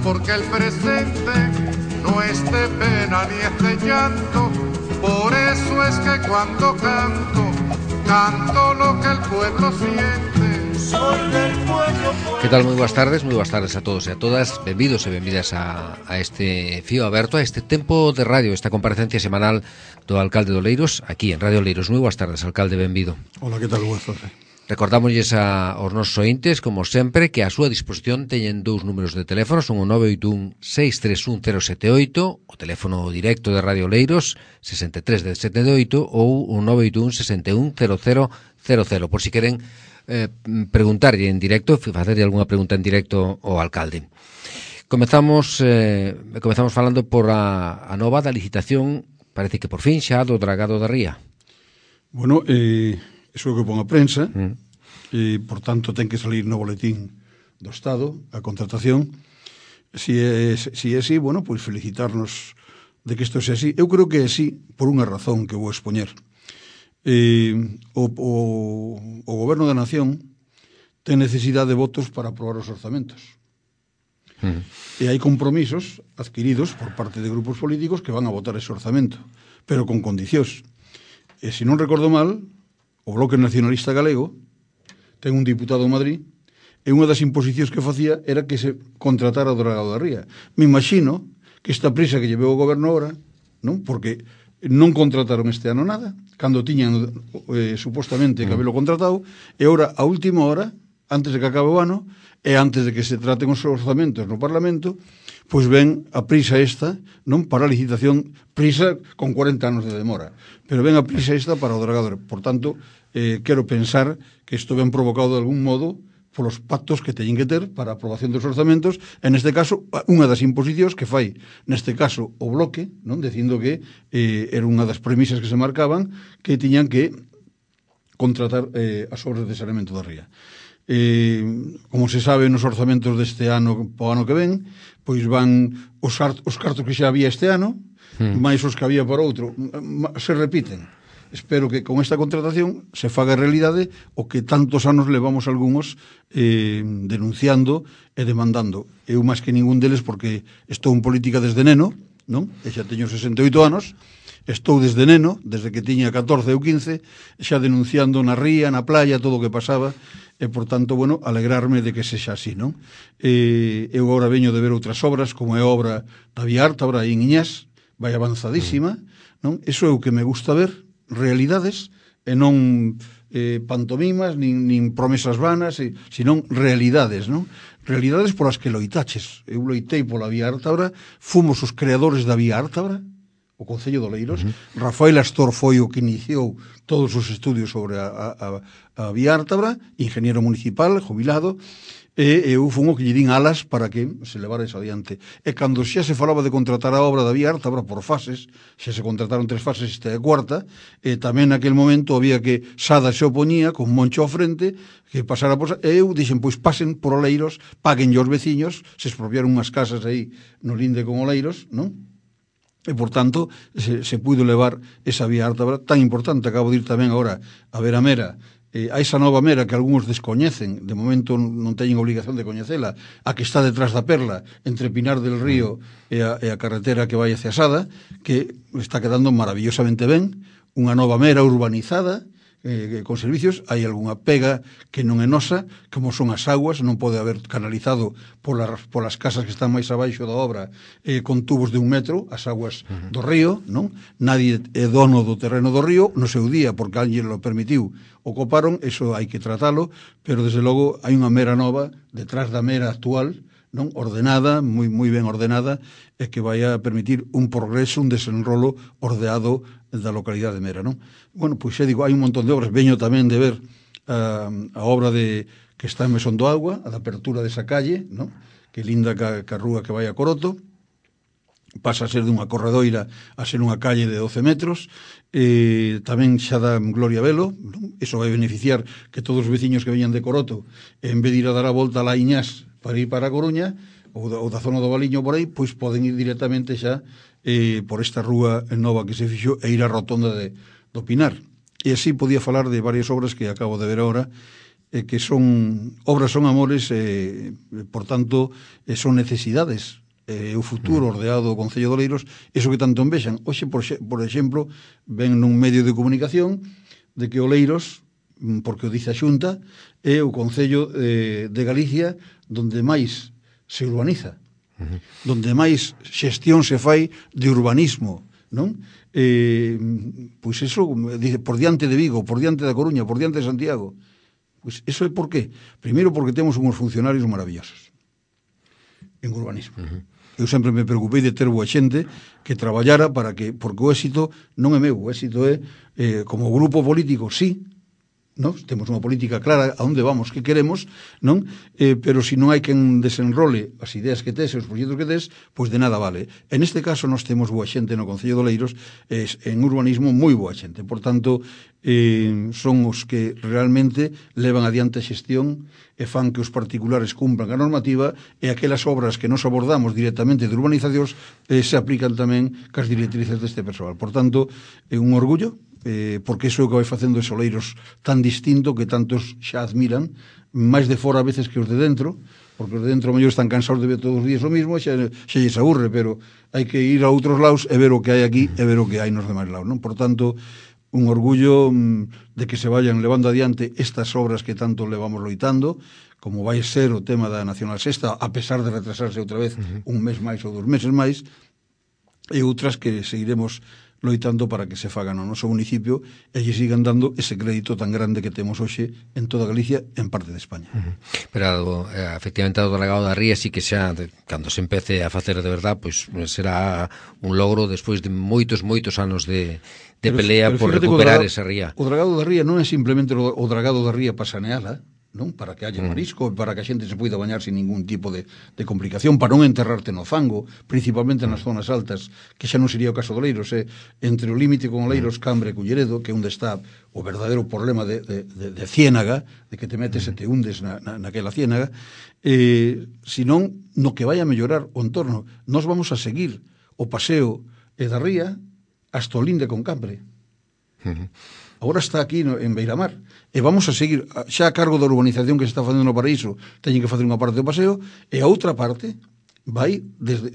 porque el presente no es de pena ni es de llanto. Por eso es que cuando canto, canto lo que el pueblo siente. Soy del pueblo. Que tal? Moi boas tardes a todos e a todas. Benvidos e benvidas a este fío aberto, a este tempo de radio, esta comparecencia semanal do alcalde de Oleiros, aquí en Radio Oleiros. Moi boas tardes, alcalde, benvido. Hola, que tal? Boas tardes. Recordámosles aos nosos ointes, como sempre, que a súa disposición teñen dous números de teléfono, son o 981-631-078, o teléfono directo de Radio Oleiros, 63-78, ou o 981-61-0000, por si queren preguntarlle en directo, facerlle algunha pregunta en directo ao alcalde. Comezamos falando por a nova da licitación, parece que por fin xa, do dragado da ría. Bueno, iso é o que pon a prensa, e, por tanto, ten que salir no boletín do Estado, a contratación. Si é así, bueno, pois felicitarnos de que isto sea así. Eu creo que é así por unha razón que vou expoñer. O Goberno da Nación ten necesidade de votos para aprobar os orzamentos. E hai compromisos adquiridos por parte de grupos políticos que van a votar ese orzamento, pero con condicións. E se non recordo mal, o Bloque Nacionalista Galego ten un diputado en Madrid e unha das imposicións que facía era que se contratara o dragado da ría. Me imagino que esta prisa que llevou o goberno ahora, non? Porque non contrataron este ano nada, cando tiñan supostamente que habelo contratado, e ahora, a última hora, antes de que acabe o ano, e antes de que se traten os orzamentos no Parlamento, pois ven a prisa esta, non para a licitación, prisa con 40 anos de demora, pero ven a prisa esta para o dragado. Por tanto, quero pensar que isto ven provocado de algún modo polos pactos que teñen que ter para a aprobación dos orzamentos, en este caso, unha das imposicións que fai, neste caso, o Bloque, non, dicindo que era unha das premisas que se marcaban, que tiñan que contratar as obras de saneamento da ría. Como se sabe, nos orzamentos deste ano, po ano que ven, pois van os cartos que xa había este ano, máis os que había para outro, se repiten. Espero que con esta contratación se faga realidade o que tantos anos levamos algúns denunciando e demandando. Eu máis que ningún deles, porque estou en política desde neno, non? E xa teño 68 anos, estou desde neno, desde que tiña 14 ou 15, xa denunciando na ría, na playa, todo o que pasaba, e, por tanto, bueno, alegrarme de que sexa así, non? Eu agora veño de ver outras obras, como é a obra da Vía Ártabra en Iñás, vai avanzadísima, non? Eso é o que me gusta ver, realidades, e non pantomimas, nin promesas vanas, senón realidades, non? Realidades polas que loitaches. Eu loitei pola Vía Ártabra, fomos os creadores da Vía Ártabra, o Concello de Oleiros. Rafael Astor foi o que iniciou todos os estudios sobre a Vía Ártabra, ingeniero municipal, jubilado, e eu fun o que lle din alas para que se levara eso adiante. E cando xa se falaba de contratar a obra da Vía Ártabra por fases, xa se contrataron 3 fases, esta é a cuarta, e tamén naquel momento había que Sada se oponía con Moncho ao frente, que pasara por... E eu dixen, pois pasen por Oleiros, paguen os veciños, se expropiaron unhas casas aí no linde con Oleiros, non? E, por tanto, se puido levar esa Vía Ártabra tan importante. Acabo de ir tamén agora a ver a Mera, a esa nova Mera que algúns descoñecen, de momento non teñen obligación de coñecela, a que está detrás da Perla, entre Pinar del Río e a carretera que vai hacia Sada, que está quedando maravillosamente ben, unha nova Mera urbanizada, con servicios. Hai algunha pega que non é nosa, como son as aguas, non pode haber canalizado polas casas que están máis abaixo da obra con tubos de 1 metro, as aguas do río, non? Nadie é dono do terreno do río no seu día, porque alguén lo permitiu, o coparon, eso hai que tratalo, pero desde logo hai unha Mera nova detrás da Mera actual, non? Ordenada, moi ben ordenada, e que vai a permitir un progreso, un desenrolo ordeado da localidade de Mera, non? Bueno, pois xa digo, hai un montón de obras. Veño tamén de ver a obra que está en Mesón do Agua, a da apertura desa calle, non? Que linda ca rúa que vai a Coroto, pasa a ser dunha corredoira a ser unha calle de 12 metros, tamén xa dá Gloria Velo, non? Iso vai beneficiar que todos os veciños que veñan de Coroto, en vez de ir a dar a volta a la Iñás para ir para a Coruña, ou da zona do Valiño por aí, pois poden ir directamente xa por esta rúa nova que se fixo e ir á rotonda do Pinar. E así podía falar de varias obras que acabo de ver agora que son obras son amores, por tanto, son necesidades. O futuro ordeado do Concello de Oleiros, eso que tanto envexan. Hoxe, por exemplo, ven nun medio de comunicación de que Oleiros, porque o dice a Xunta, é o Concello de Galicia donde máis se urbaniza, donde máis xestión se fai de urbanismo, non? Pois eso, dice, por diante de Vigo, por diante da Coruña, por diante de Santiago. Pois eso é por qué? Primeiro porque temos uns funcionarios maravillosos en urbanismo. Eu sempre me preocupei de ter boa xente que traballara porque o éxito non é meu, o éxito é como grupo político, sí, non? Temos unha política clara a onde vamos, que queremos, non? Pero se non hai quen desenrole as ideas que tes, os proxectos que tes, pois de nada vale. En este caso nós temos boa xente no Concello de Oleiros, en urbanismo moi boa xente. Por tanto, son os que realmente levan adiante a xestión e fan que os particulares cumpran a normativa e aquelas obras que nos abordamos directamente de urbanizacións se aplican tamén cas directrices deste persoal. Por tanto, é un orgullo, porque iso é o que vai facendo os Oleiros tan distinto que tantos xa admiran, máis de fora a veces que os de dentro, porque os de dentro mellor están cansados de ver todos os días o mismo, xa lles aburre, pero hai que ir a outros lados e ver o que hai aquí e ver o que hai nos demais lados, non? Por tanto, un orgullo de que se vayan levando adiante estas obras que tanto levamos loitando, como vai ser o tema da Nacional Sexta, a pesar de retrasarse outra vez un mes máis ou 2 meses máis, e outras que seguiremos loitando para que se fagan no noso municipio e lle sigan dando ese crédito tan grande que temos hoxe en toda Galicia e en parte de España. Pero, efectivamente, o delegado da Ría sí que xa, cando se empece a facer de verdad, pois será un logro despois de moitos anos de pelea por recuperar esa ría. O dragado da ría non é simplemente o dragado da ría para saneala, non? Para que haxa marisco, para que a xente se poida bañar sin ningún tipo de complicación, para non enterrarte no fango, principalmente nas zonas altas, que xa non sería o caso de Oleiros, entre o límite con Oleiros, Cambre e Culleredo, que é onde está o verdadeiro problema de ciénaga, de que te metes e te hundes naquela ciénaga, senón no que vai a mellorar o entorno. Nós vamos a seguir o paseo da ría hasta o linde con Cambre. Agora está aquí en Beiramar e vamos a seguir xa a cargo da urbanización que se está facendo no Paraíso. Teñen que facer unha parte do paseo e a outra parte vai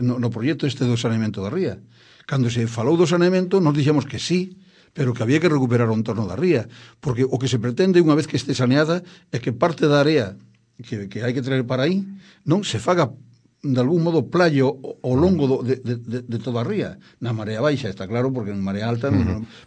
no proxecto este do saneamento da ría. Cando se falou do saneamento nos dixemos que sí, pero que había que recuperar o entorno da ría, porque o que se pretende unha vez que este saneada é que parte da area que hai que traer para aí non se faga de algún modo playo ao longo de toda a ría. Na marea baixa, está claro, porque en marea alta,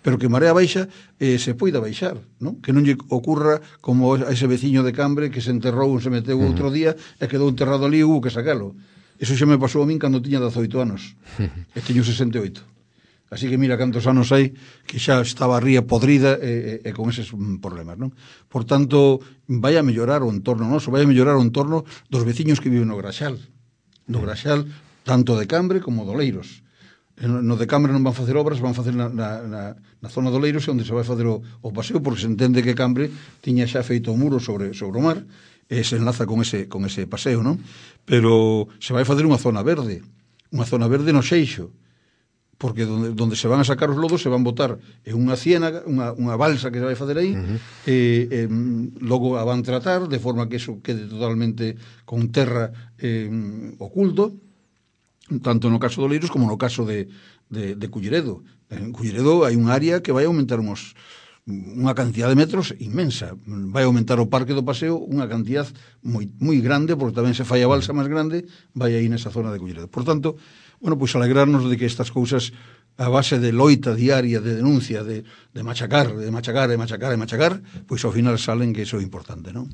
pero que en marea baixa se poida baixar, non? Que non lle ocurra como a ese veciño de Cambre que se enterrou, se meteu outro día e quedou enterrado ali e hubo que sacalo. Eso xa me pasou a min cando tiña 18 anos e teño 68. Así que mira cantos anos hai que xa estaba a ría podrida e con eses problemas, non? Por tanto, vai a mellorar o entorno noso, vai a mellorar o entorno dos veciños que viven no Graxal, tanto de Cambre como de Oleiros. No de Cambre non van facer obras, van facer na zona de Oleiros onde se vai facer o paseo, porque se entende que Cambre tiña xa feito o muro sobre o mar e se enlaza con ese paseo, non? Pero se vai facer unha zona verde no Seixo, porque donde se van a sacar os lodos se van botar en unha ciénaga, unha balsa que se vai facer aí, logo a van tratar de forma que eso quede totalmente con terra oculto, tanto no caso de Oleiros como no caso de Culleredo. En Culleredo hai un área que vai aumentar unha cantidad de metros inmensa, vai aumentar o parque do paseo unha cantidad moi grande, porque tamén se fai a balsa máis grande, vai aí nesa zona de Culleredo. Por tanto, bueno, pois alegrarnos de que estas cousas a base de loita diaria, de denuncia, de machacar, pois ao final salen que iso é importante, non?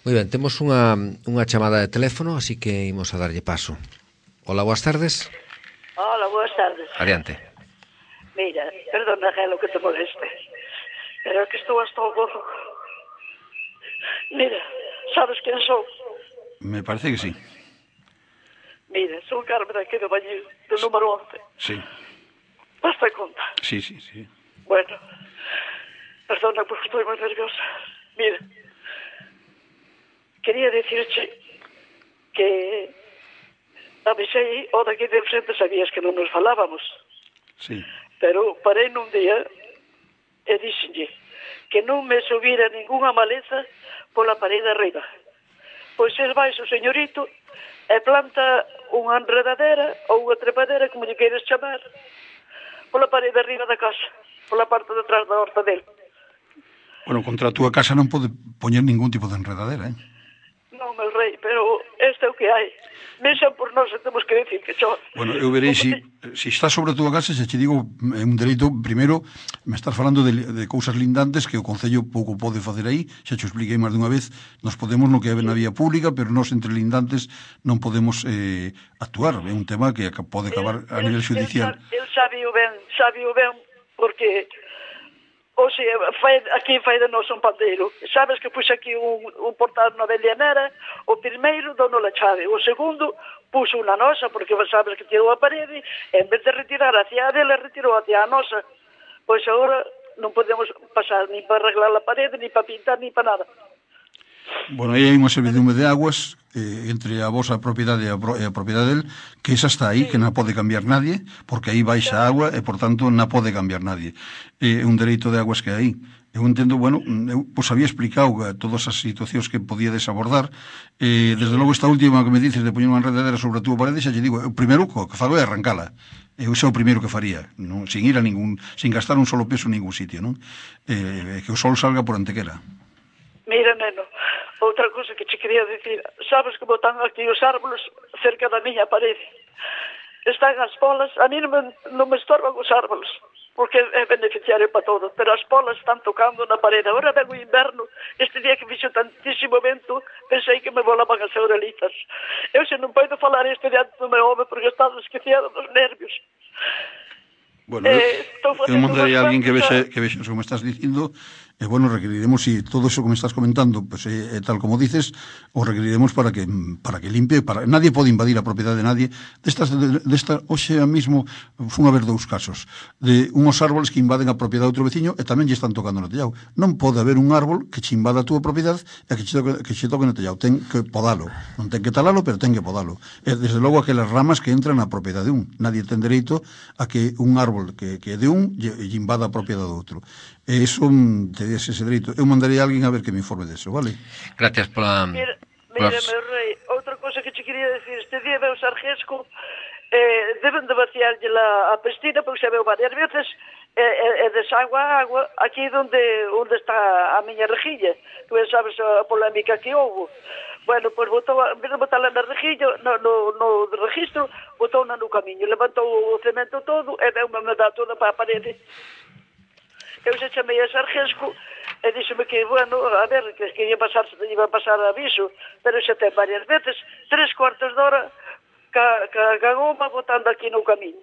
Moi ben, temos unha chamada de teléfono, así que imos a darlle paso. Hola, boas tardes. Hola, boas tardes. Adiante. Mira, perdona, Gelo, que te moleste, pero é que estou hasta o gorro. Mira, sabes quen sou? Me parece que sí. Mira, sou Carmen aquí do Bañil, do número 11. Sí. Basta conta. Sí. Bueno, perdona porque estou moi nerviosa. Mira, quería dicirche que avisei o daqui de frente, sabías que non nos falábamos. Sí. Pero parei nun día e dixenlle que non me subira ningunha maleza pola parede arriba. Pois el vai o señorito e planta unha enredadera ou unha trepadera, como lle queres chamar, pola parede arriba da casa, pola parte de atrás da horta dele. Bueno, contra a túa casa non pode poñer ningún tipo de enredadera, eh? Non, meu rei, pero este é o que hai. Mexan por nós e temos que decir que chove. Bueno, eu verei si está sobre a túa casa, se che digo, é un dereito, primeiro, me estás falando de cousas lindantes que o Concello pouco pode facer aí, xa te expliquei máis dunha vez, nos podemos no que é na vía pública, pero nós entre lindantes non podemos actuar, é un tema que pode acabar a nivel judicial. El sabe o ben, porque Oxe, aquí fai de nós un pandeiro. Sabes que puxe aquí un portal na Belianera, o primeiro dono la chave, o segundo puxo unha nosa, porque sabes que tirou a parede, en vez de retirar hacia a dele, retirou hacia a nosa. Pois agora non podemos pasar ni para arreglar a parede, ni para pintar, ni para nada. Bueno, aí hai unha servidume de aguas entre a vosa propiedade e a propiedade del, que esa está aí, que non pode cambiar nadie, porque aí baixa a agua e, por tanto, non pode cambiar nadie. É un dereito de aguas que hai. Eu entendo, bueno, eu vos había explicado todas as situacións que podíades abordar. Desde logo, esta última que me dices de poñer unha enredadera sobre a túa parede, xa lle digo, o primeiro que fago é arrancala. Eu xa o primeiro que faría, non, sin ir a ningún, sin gastar un solo peso en ningún sitio, non? Que o sol salga por Antequera. Mira, neno, outra cousa que che quería dicir, sabes como están aquí os árboles cerca da miña parede? Están as polas, a mí non me estorban os árboles, porque é beneficiario para todo, pero as polas están tocando na parede. Agora ven o inverno, este día que fixo tantísimo vento, pensei que me volaban as orelitas. Eu se non podo falar este diante do meu home porque estado esquecido dos nervios. Bueno, eu mandarei a alguén que vexe eso que me estás dicindo. Bueno, requeriremos, si todo eso que me estás comentando pues, tal como dices, o requeriremos para que limpie, nadie pode invadir a propiedade de nadie. Desta hoxe mismo fun a ver dous casos de unhos árboles que invaden a propiedade de outro veciño e tamén lle están tocando no tellado. Non pode haber un árbol que che invada a túa propiedade e que che toque no tellado. Ten que podalo, non ten que talalo, pero ten que podalo. E desde logo aquelas ramas que entran na propiedade de un. Nadie ten dereito a que un árbol que é de un lle invada a propiedade do outro. E iso terías ese dereito. Eu mandarei a alguén a ver que me informe deso, vale? Gracias pola... Mira, meu rei, outra cousa que che quería decir, este día veu Sarjesco, deben de vaciarlle a pestina, porque xa veu varias veces, e desagua a agua aquí onde está a miña rejilla. Tu sabes a polémica que houve. Bueno, pois botou, en vez de botarla na rejilla, no registro, botou-na no camiño, levantou o cemento todo e veu me dar toda para a parede. Eu se chamei a Sarjesco e díxeme que, bueno, a ver, que iba a pasar aviso, pero xa ten varias veces, 3/4 de hora, ca goma botando aquí no camiño.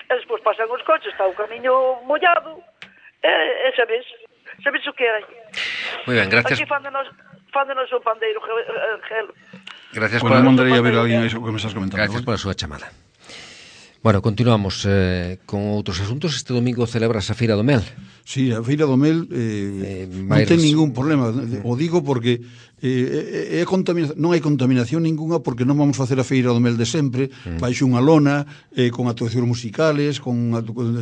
E despois pasan os coches, está o camiño mollado, e sabes o que hai. Moi ben, gracias. Aquí fándonos un pandeiro, gelo. Gracias por... mandarei a ver a alguén iso que me estás comentando. Gracias pola súa chamada. Bueno, continuamos con outros asuntos. Este domingo celebras a Feira do Mel. Sí, a Feira do Mel non ten ningún problema. O digo porque non hai contaminación ninguna, porque non vamos facer a Feira do Mel de sempre, baixo unha lona, con actuacións musicales, con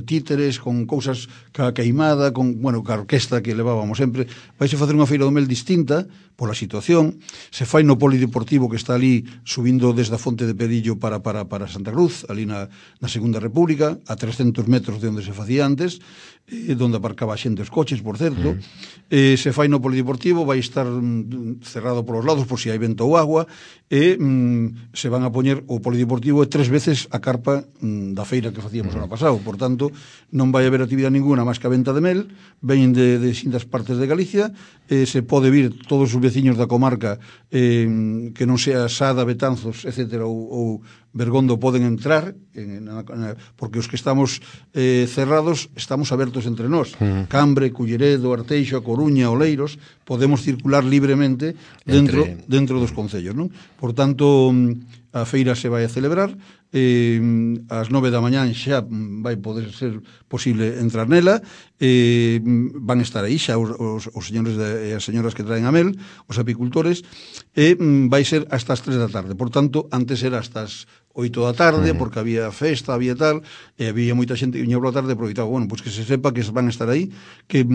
títeres, con cousas ca queimada, con, bueno, ca orquesta que levábamos sempre. Vais a facer unha Feira do Mel distinta pola situación. Se fai no polideportivo que está ali subindo desde a Fonte de Pedillo para Santa Cruz, ali na Segunda República, a 300 metros de onde se facía antes, donde aparcaba xente os coches, por certo. Se fai no polideportivo, vai estar cerrado polos lados por si hai vento ou agua, e se van a poñer o polideportivo 3 veces a carpa da feira que facíamos ano pasado. Por tanto, non vai haber actividade ninguna máis que a venta de mel. Veñen de distintas partes de Galicia, se pode vir todos os veciños da comarca que non sea Sada, Betanzos, etcétera, ou Bergondo, poden entrar, porque os que estamos cerrados estamos abertos entre nós. Cambre, Culleredo, Arteixo, A Coruña, Oleiros, podemos circular libremente tarde dentro dos concellos, non? Por tanto, a feira se vai a celebrar, ás 9 da mañá xa vai poder ser posible entrar nela, van estar aí xa os señores e as señoras que traen a mel, os apicultores, e vai ser hasta as 3 da tarde. Por tanto, antes era hasta as 8 da tarde, porque había festa, había tal, e había moita xente que viña pola tarde, aproveitaba, bueno, pois que se sepa que van a estar aí, que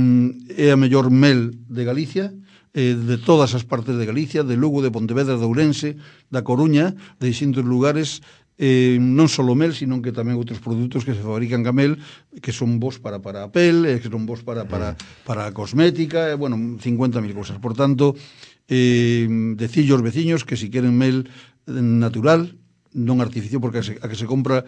é a mellor mel de Galicia, de todas as partes de Galicia, de Lugo, de Pontevedra, de Ourense, da Coruña, de distintos lugares, non só mel, sino que tamén outros produtos que se fabrican ca mel, que son bons para a pel, que son bons para a cosmética, bueno, 50.000 cosas. Por tanto, decillo aos veciños que si queren mel natural, non artificial, porque a que se compra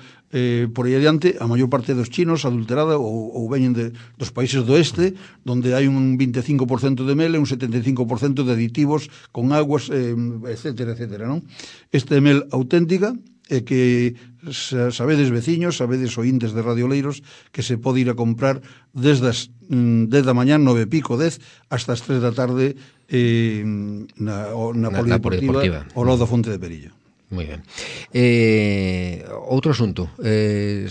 por aí adiante, a maior parte dos chinos adulterada ou veñen dos países do oeste, donde hai un 25% de mel e un 75% de aditivos con aguas, etcétera, etcétera, non? Este é mel auténtica, e que sabedes veciños, sabedes ointes de Radio Oleiros, que se pode ir a comprar desde as 10 da mañán, 9 e pico, 10, hasta as 3 da tarde na Polideportiva ao lado da Fonte de Perillo. Moi ben. Outro asunto,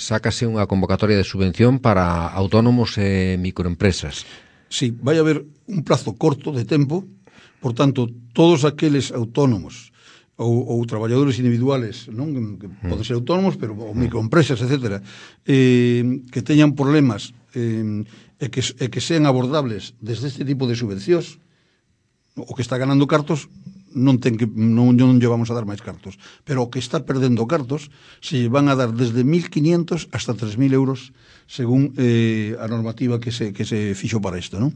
sácase unha convocatoria de subvención para autónomos e microempresas. Sí, vai haber un plazo corto de tempo, por tanto, todos aqueles autónomos ou traballadores individuales, non, que poden ser autónomos, pero ou microempresas, etcétera, que teñan problemas e que sean abordables desde este tipo de subvencións, o que está ganando cartos non lle vamos a dar máis cartos, pero o que está perdendo cartos se van a dar desde 1.500 hasta 3.000 euros según a normativa que se fixo para isto, non?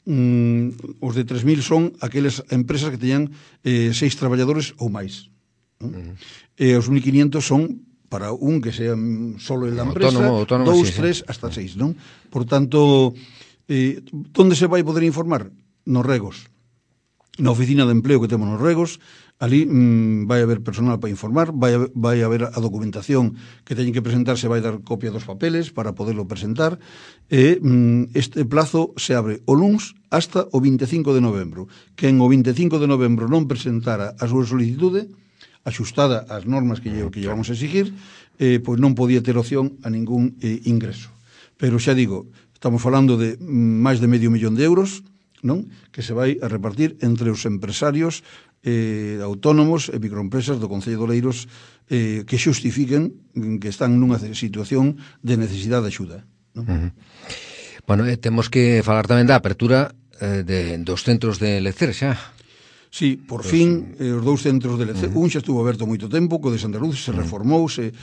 Os de 3.000 son aquelas empresas que teñan 6 traballadores ou máis, non? E os 1.500 son para un que sea solo en la empresa, autónomo, 2, 3, hasta 6, non? Por tanto, onde se vai poder informar? Nos regos. Na oficina de empleo que temos nos regos, ali vai haber personal para informar, vai haber a documentación que teñen que presentar, se vai dar copia dos papeles para poderlo presentar, e este plazo se abre o luns hasta o 25 de novembro. Quen o 25 de novembro non presentara a súa solicitude, axustada ás normas que lle vamos a exigir, pois non podía ter opción a ningún ingreso. Pero xa digo, estamos falando de máis de medio millón de euros, non? Que se vai a repartir entre os empresarios autónomos e microempresas do Concello de Oleiros que xustifiquen que están nunha situación de necesidade de axuda, non? Bueno, temos que falar tamén da apertura dos centros de lecer xa. Sí, por fin, os 2 centros de lecer, un xa estuvo aberto moito tempo, co de Santa Luz se reformou, se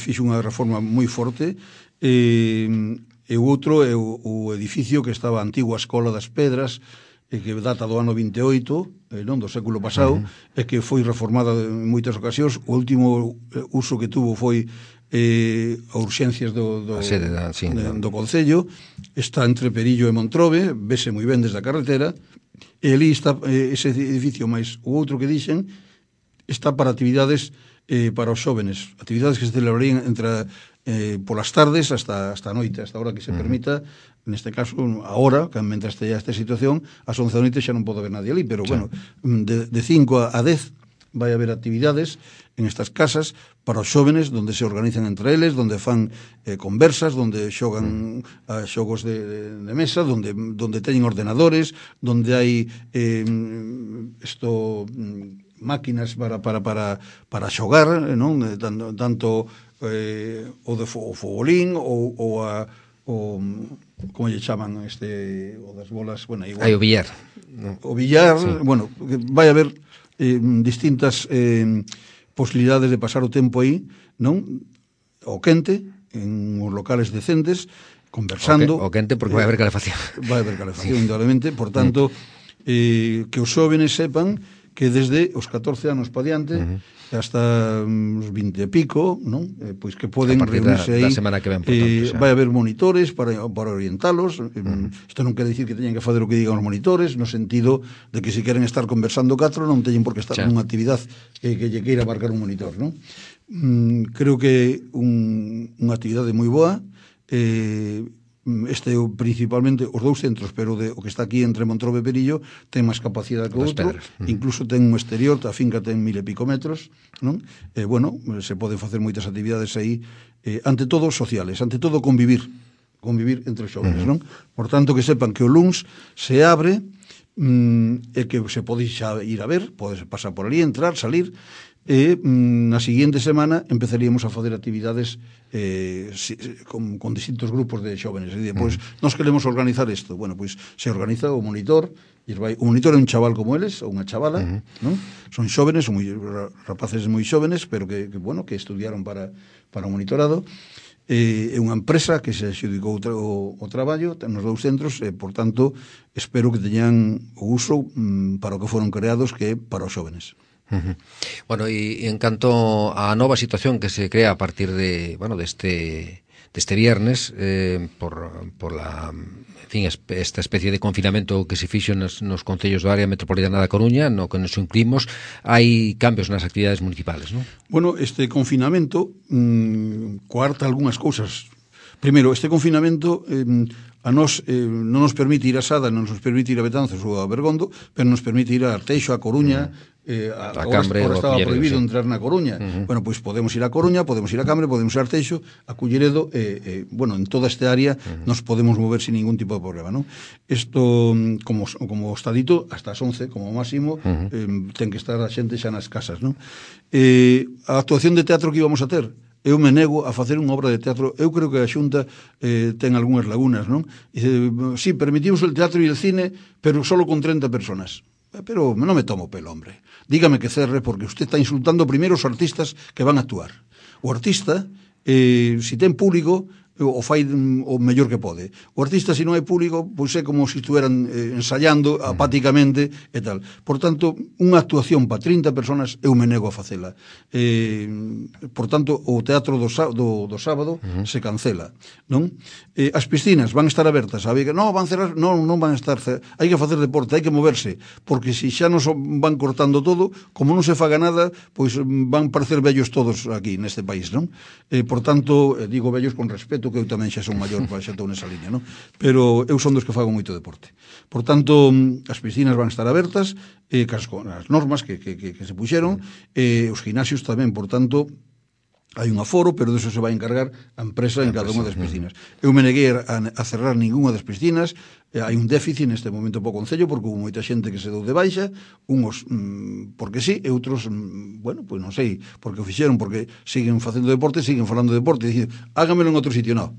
fixo unha reforma moi forte, e o outro é o edificio que estaba a antigua Escola das Pedras, que data do ano 28, non, do século pasado, e que foi reformada en moitas ocasións. O último uso que tuvo foi a urxencias do Concello. Está entre Perillo e Montrobe, vese moi ben desde a carretera, e ali está ese edificio, máis o outro que dixen está para actividades para os xóvenes, actividades que se celebrarían entre polas tardes hasta a noite, hasta a hora que se permita. Neste caso, agora, mentre esteja esta situación, ás 11 da noite xa non pode haber nadie ali, pero bueno, de 5 a 10 vai haber actividades en estas casas para os xóvenes, donde se organizan entre eles, donde fan conversas, donde xogan a xogos de mesa, donde teñen ordenadores, donde hai máquinas para xogar, non? Tanto o fogolín ou como lle chaman o das bolas, bueno, igual. Hai o billar. O billar, sí. Bueno, vai haber distintas posibilidades de pasar o tempo aí, non? O quente, en os locales decentes, conversando. O quente porque vai haber calefacción. Vai haber calefacción, indudablemente, por tanto, que os xóvenes sepan que desde os 14 anos pa diante hasta uns 20 e pico, non? Pois que poden reunirse aí. Semana que ven, por tanto, vai haber monitores para orientalos. Isto non quere dicir que teñen que fazer o que digan os monitores, no sentido de que se queren estar conversando catro non teñen por que estar nunha actividade que lle queira marcar un monitor, non? Creo que unha actividade moi boa, principalmente os dous centros, pero o que está aquí entre Montrobe e Perillo ten máis capacidade que o outro, incluso ten un exterior, a finca ten 1000 e pico metros, non? Bueno, se poden facer moitas actividades aí, ante todo sociales, ante todo convivir entre os xóvenes, non? Por tanto, que sepan que o luns se abre, e que se pode xa ir a ver, pode pasar por ali, entrar, salir, e na seguinte semana empezaríamos a facer actividades con distintos grupos de xóvenes. E pois, nós queremos organizar isto. Bueno, pois se organiza o monitor, o monitor é un chaval como eles, ou unha chavala, non? Son xóvenes, son rapaces moi xóvenes, pero que estudiaron para o monitorado. É unha empresa que se adxudicou o traballo nos dous centros, e, por tanto, espero que teñan o uso para o que foron creados, que é para os xóvenes. Bueno, e en canto á nova situación que se crea a partir deste viernes, por la, en fin, esta especie de confinamento que se fixo nos concellos do área metropolitana da Coruña, no que nos incluímos, hai cambios nas actividades municipales, non? Bueno, este confinamento coarta algunhas cousas. Primeiro, este confinamento a nos non nos permite ir a Sada, non nos permite ir a Betanzos ou a Bergondo, pero nos permite ir a Arteixo, a Coruña, agora estaba prohibido entrar na Coruña. Bueno, pois podemos ir a Coruña, podemos ir a Cambre, podemos ir a Arteixo, a Culleredo, bueno, en toda esta área nos podemos mover sin ningún tipo de problema, non? Isto, como está dito, hasta as 11, como máximo, ten que estar a xente xa nas casas, non? A actuación de teatro que íbamos a ter, eu me nego a facer unha obra de teatro. Eu creo que a Xunta ten algunhas lagunas, non? Dice, sí, permitimos el teatro e el cine, pero solo con 30 personas. Pero non me tomo pelo, hombre. Dígame que cerre, porque usted está insultando primeiro os artistas que van a actuar. O artista, se ten público, o fai o mellor que pode. O artista, se non hai público, pois é como se estuveran ensayando apáticamente e tal. Por tanto, unha actuación para 30 personas eu me nego a facela. Por tanto, o teatro do sábado se cancela, non? As piscinas van estar abertas, sabe que non van cerrar, non van estar cerradas. Hai que facer deporte, hai que moverse, porque se xa nos van cortando todo, como non se faga nada, pois van parecer vellos todos aquí neste país, non? Por tanto, digo vellos con respeto, que eu tamén xa son maior, xa estou nesa liña, non? Pero eu son dos que fago moito deporte. Por tanto, as piscinas van estar abertas, con as normas que se puxeron, os gimnasios tamén, por tanto, hai un aforo, pero deso se vai encargar a empresa en cada unha das piscinas. Eu me neguei a cerrar ninguna das piscinas, hai un déficit neste momento po Concello, porque houve moita xente que se deu de baixa, uns porque sí, e outros, bueno, pois non sei, porque o fixeron, porque siguen facendo deporte, siguen falando de deporte, e dicir, hágamelo en outro sitio, non.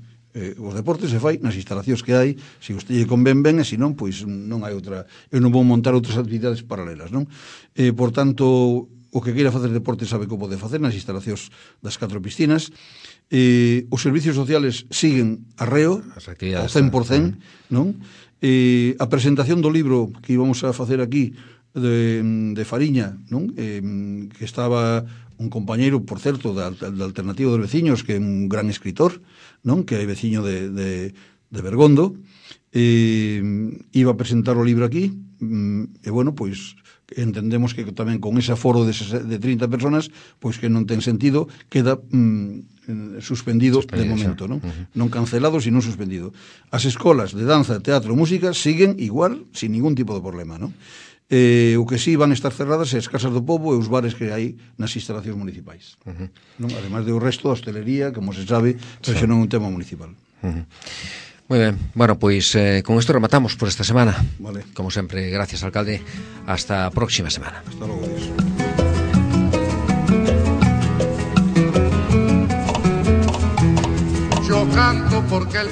Os deportes se fai nas instalacións que hai, se usted lle convén ben, e se non, pois non hai outra, eu non vou montar outras actividades paralelas, non? Por tanto, o que queira facer deporte sabe que o pode facer nas instalacións das 4 piscinas. Os servicios sociales siguen arreo, ao 100%, non? A presentación do libro que íbamos a facer aquí de Fariña, non? Que estaba un compañeiro, por certo, da Alternativa dos Veciños, que é un gran escritor, non? Que é veciño de Bergondo, iba a presentar o libro aquí, e bueno, pois entendemos que tamén con ese aforo de 30 personas, pois que non ten sentido, queda suspendido de momento, non? Non cancelado, sino suspendido. As escolas de danza, teatro, música siguen igual, sin ningún tipo de problema, non? O que sí van estar cerradas é as casas do pobo e os bares que hai nas instalacións municipais, non? Ademais do resto da hostelería, como se sabe, pero xa non é un tema municipal. Moi ben, bueno, pois con isto rematamos por esta semana. Vale. Como sempre, gracias, alcalde. Hasta a próxima semana. Hasta logo, Dios. Yo canto porque el